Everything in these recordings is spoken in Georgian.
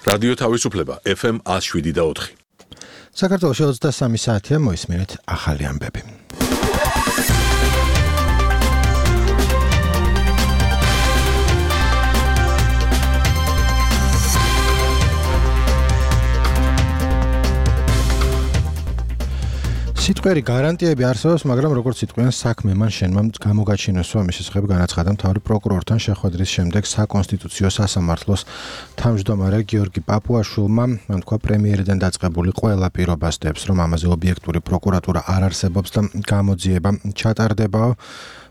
რადიო თავისუფლება FM 107.4. საქართველოში 23 საათია მოისმინეთ ახალი ამბები. სიტყვიერი გარანტიები არსებობს, მაგრამ როგორც სიტყვიან საქმე მან შენმა გამოგაჩინოსვა მის შესახებ განაცხადა მთავარი პროკურორთან შეხვედრის შემდეგ საკონსტიტუციო სასამართლოს თავმჯდომარე გიორგი პაპუაშვილმა. მან თქვა პრემიერიდან დაწყებული ყველა პირობას დებს, რომ ამაზე ობიექტური პროკურატურა არ არსებობს და გამოძიება ჩატარდებაო.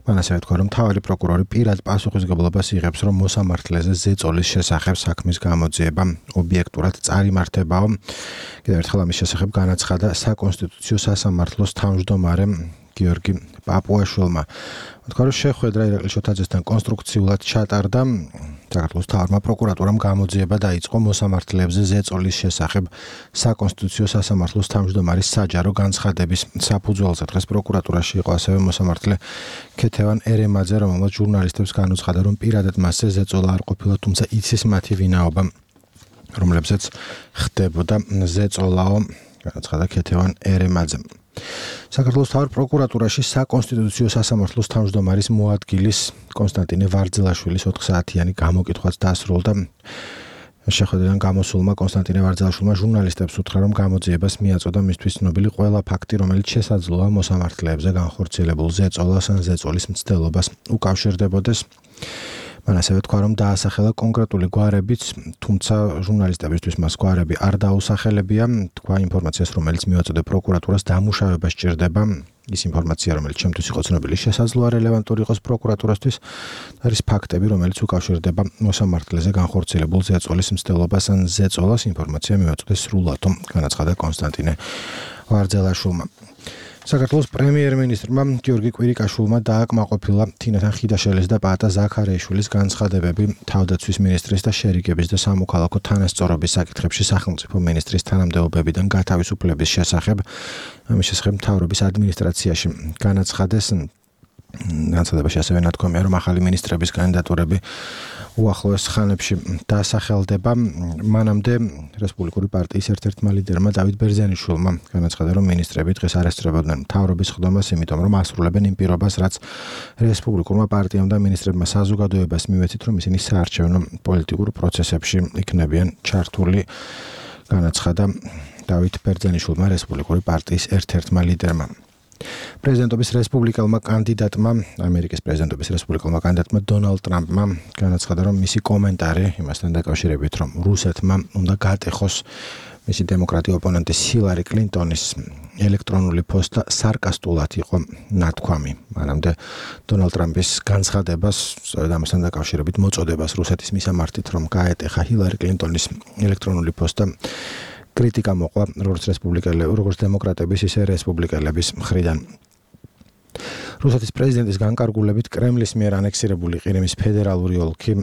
მან ასევე თქვა, რომ მთავარი პროკურორი პირად პასუხისმგებლობას იღებს, რომ მოსამართლეზე ზეწოლის შესახებ საქმის გამოძიება ობიექტურად წარიმართებაო. კიდევ ერთხელ ამის შესახებ განაცხადა საკონსტიტუციო სასამართლოს თავმჯდომარე გიორგი პაპუაშვილმა. თქვა, რომ შეხვედრა ირაკლი შოთაძესთან კონსტრუქციულად ჩატარდა. საქართველოს მთავარმა პროკურატურამ გამოძიება დაიწყო მოსამართლეებზე ზეწოლის შესახებ საკონსტიტუციო სასამართლოს თავმჯდომარის საჯარო განცხადების საფუძველზე. დღეს პროკურატურაში იყო ასევე მოსამართლე ქეთევან ერემაძე, რომელმაც ჟურნალისტებს განუცხადა, რომ პირადად მასზე ზეწოლა არ ყოფილა, თუმცა იცის მათი ვინაობა, რომლებზეც ხდებოდა ზეწოლაო, განაცხადა ქეთევან ერემაძემ. საქართველოს მთავარ პროკურატურაში საკონსტიტუციო სასამართლოს თავმჯდომარის მოადგილის კონსტანტინე ვარძელაშვილის 4 საათიანი გამოკითხვაც დასრულდა. შეხვედრიდან გამოსულმა კონსტანტინე ვარძელაშვილმა ჟურნალისტებს უთხრა, რომ გამოძიებას მიაწოდა მისთვის ცნობილი ყველა ფაქტი, რომელიც შესაძლოა მოსამართლეებზე განხორციელებულ ზეწოლას ან ზეწოლის მცდელობას უკავშირდებოდეს. მან ასევე თქვა, რომ დაასახელა კონკრეტული გვარებიც, თუმცა ჟურნალისტებისთვის მას გვარები არ დაუსახელებია. თქვა ინფორმაციას, რომელიც მიაწოდა პროკურატურას დამუშავება სჭირდება. ის ინფორმაცია, რომელიც ჩემთვის იყო ცნობილი, შესაძლოა რელევანტური იყოს პროკურატურასთვის, არის ფაქტები, რომელიც უკავშირდება მოსამართლეზე განხორციელებულ ზეწოლის მცდელობას ან ზეწოლას. ინფორმაცია მიაწოდა სრულად, განაცხადა კონსტანტინე ვარძელაშვილმა. საქართველოს პრემიერ-მინისტრმა გიორგი კვირიკაშვილმა დააკმაყოფილა თინათან ხიდაშელის და პაატა ზაქარიაშვილის განცხადებები თავდაცვის მინისტრის და შერიგების და სამოქალაქო თანასწორობის საკითხებში სახელმწიფო მინისტრის თანამდებობებიდან გათავისუფლების შესახებ. ამის შესახებ მთავრობის ადმინისტრაციაში განაცხადეს. განცხადებაში ასევე ნათქვამია, რომ ახალი მინისტრების კანდიდატურები უახლოეს ხანებში დასახელდება. მანამდე რესპუბლიკური პარტიის ერთ-ერთმა ლიდერმა დავით ბერძენიშვილმა განაცხადა, რომ მინისტრები დღეს არ ესწრებოდნენ მთავრობის ხდომას, იმიტომ რომ ასრულებენ იმ პირობას, რაც რესპუბლიკურმა პარტიამ და მინისტრებმა საზოგადოებას მივეცით, რომ ისინი საარჩევნო პოლიტიკურ პროცესებში იქნებიან ჩართული, განაცხადა დავით ბერძენიშვილმა რესპუბლიკური პარტიის ერთ-ერთმა ლიდერმა. პრეზიდენტობის რესპუბლიკელმა კანდიდატმა, ამერიკის პრეზიდენტობის რესპუბლიკელმა კანდიდატმა დონალდ ტრამპმა განაცხადა, რომ მისი კომენტარი იმასთან დაკავშირებით, რომ რუსეთმა უნდა გატეხოს მისი დემოკრატი ოპონენტის ჰილარი კლინტონის ელექტრონული პოსტა სარკასტულად იყო ნათქვამი. მანამდე დონალდ ტრამპის განცხადებას, სწორედ ამასთან დაკავშირებით მოწოდებას რუსეთის მისამართით, რომ გაეტეხა ჰილარი კლინტონის ელექტრონული პოსტა, კრიტიკა მოყვა როგორც დემოკრატების, ისე რესპუბლიკელების მხრიდან. რუსეთის პრეზიდენტის განკარგულებით კრემლის მიერ ანექსირებული ყირიმის ფედერალური ოლქი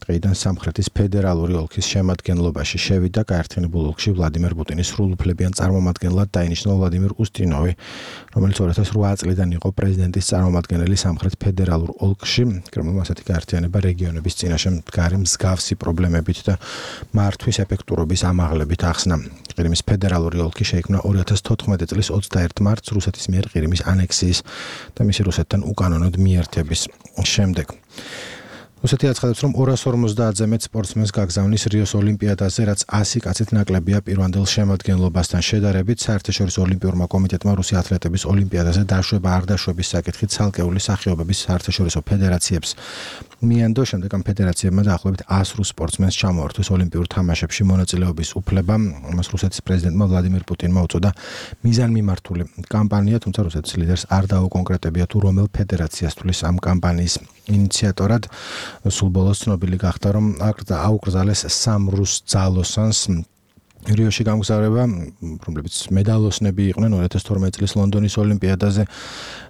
დღეიდან სამხრეთის ფედერალური ოლქის შემადგენლობაში შევიდა. გაერთიანებულ ოლქში ვლადიმერ პუტინის სრულუფლებიან წარმომადგენლად დაინიშნა ვლადიმერ უსტინოვი, რომელიც 2008 წლიდან იყო პრეზიდენტის წარმომადგენელი სამხრეთ ფედერალურ ოლქში. კრემლმა ასეთი გაერთიანება რეგიონების წინაშე მდგარი მსგავსი პრობლემებით და მართვის ეფექტურობის ამაღლებით ახსნა. ყირიმის ფედერალური ოლქი შეიქმნა 2014 წლის 21 მარტს რუსეთის მიერ ყირიმის ანექსიის და მისი რუსეთთან უკანონოდ მიერთების შემდეგ. რუსეთი აცხადებს, რომ 250-ზე მეტ სპორტსმენს გაგზავნის რიოს ოლიმპიადაზე, რაც 100 კაცით ნაკლებია პირვანდელ შემადგენლობასთან შედარებით. საერთაშორისო ოლიმპიურმა კომიტეტმა რუსი ათლეტების ოლიმპიადაზე დაშვება არ დაშვების საკითხით ცალკეული სახეობების საერთაშორისო ფედერაციებს მიანდო. შემდეგ ამ ფედერაციებმა დაახლოებით 100 რუს სპორტსმენს ჩამოართვეს ოლიმპიურ თამაშებში მონაწილეობის უფლება. მას რუსეთის პრეზიდენტმა ვლადიმერ პუტინმა უწოდა მიზანმიმართული კამპანია, თუმცა რუსეთის ლიდერს არ დაუკონკრეტებია თუ რომელ ფედერაციას თulis ამ კამპანიის ინიციატორად. სულ ბოლოს ცნობილი გახდა, რომ აუკრძალეს 3 რუს ძალოსანს რიოში გამგზავრება, რომლებიც მედალოსნები იყვნენ 2012 წლის ლონდონის ოლიმპიადაზე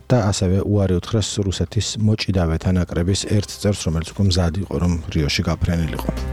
და ასევე უარი უთხრეს რუსეთის მოჭიდავეთა ნაკრების ერთ წევრს, რომელიც უკვე მზად იყო, რომ რიოში გაფრენილიყო.